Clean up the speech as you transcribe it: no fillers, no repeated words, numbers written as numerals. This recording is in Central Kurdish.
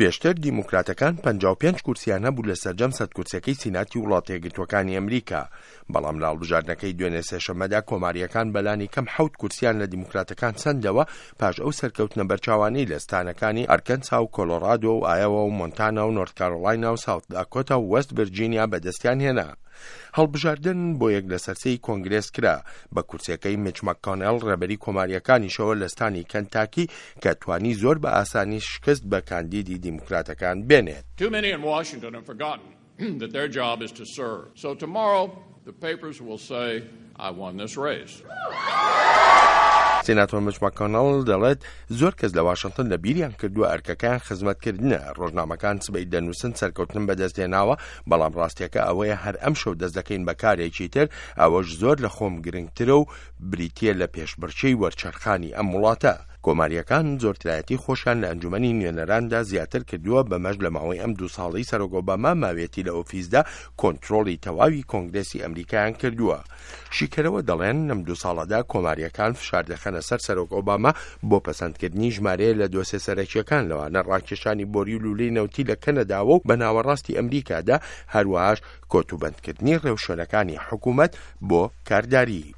پێشتر دیموکراتەکان 55 کورسیان هەبوو لە سەرجەم 100 کورسیەکەی سیناتی وڵاتە یەکگرتووەکانی ئەمریکا، بەڵام لە هەڵبژاردنەکەی دوێنێ سێشەممەدا کۆمارییەکان بەلانی کەم حەوت کورسیان لە دیموکراتەکان سەندەوە پاش ئەو سەرکەوتنە بەرچاوانەی لە ستانەکانی ئەرکەنسا و کۆلۆرادۆ و ئایەوا و مۆنتانا و نۆرت کارۆلاینا و ساوت داکۆتا و وێست ڤرجینیا بەدەستیان هێنا. هەڵبژاردن بۆ یەک لەسەر سێی کۆنگرێس کرا، بە کورسیەکەی میچ مەککۆنێڵ ڕێبەری کۆمارییەکانیشەوە لە ستانی کەنتاکی کە توانی زۆر بە ئاسانی شکست بە کاندیدی دیموکراتەکان بێنێت. Too many in Washington have forgotten that their job is to serve. So tomorrow the papers will say I won this race. سیناتۆر مچ ماکۆنەڵ دەڵێت زۆر کەس لە واشنتن لە بیریان کردووە ئەرکەکەیان خزمەتکردنە، ڕۆژنامەکان سبەی دەنووسن سەرکەوتنم بەدەستهێناوە، بەڵام ڕاستیەکە ئەوەیە هەر ئەمشەو دەست دەکەین بە کارێکی تر، ئەوەش زۆر لە خۆم گرنگترە و بریتییە لە پێشبڕکێی وەرچەرخانی ئەم وڵاتە. کۆمارییەکان زۆرترایەتی خۆشیان لە ئەنجومەنی نوێنەراندا زیاتر کردووە، بەمەش لە ماوەی ئەم دوو ساڵەی سەرۆک ئۆباما ماویەتی لە ئۆفیسدا کۆنترۆڵی تەواوی کۆنگرێسی ئەمریکایان کردووە. شیکەرەوە دەڵێن لەم دوو ساڵەدا کۆمارییەکان فشار دەخەنە سەر سەرۆک ئۆباما بۆ پەسەندکردنی ژمارەیە لە دۆسێ سەرەکییەکان لەوانە ڕاکێشانی بۆری و لوولەی نەوتی لە کەنەداوە و بە ناوەڕاستی ئەمریکادا، هەروەهاش کۆتوبەندکردنی ڕێوشوێنەکانی حکومەت بۆ کارداری.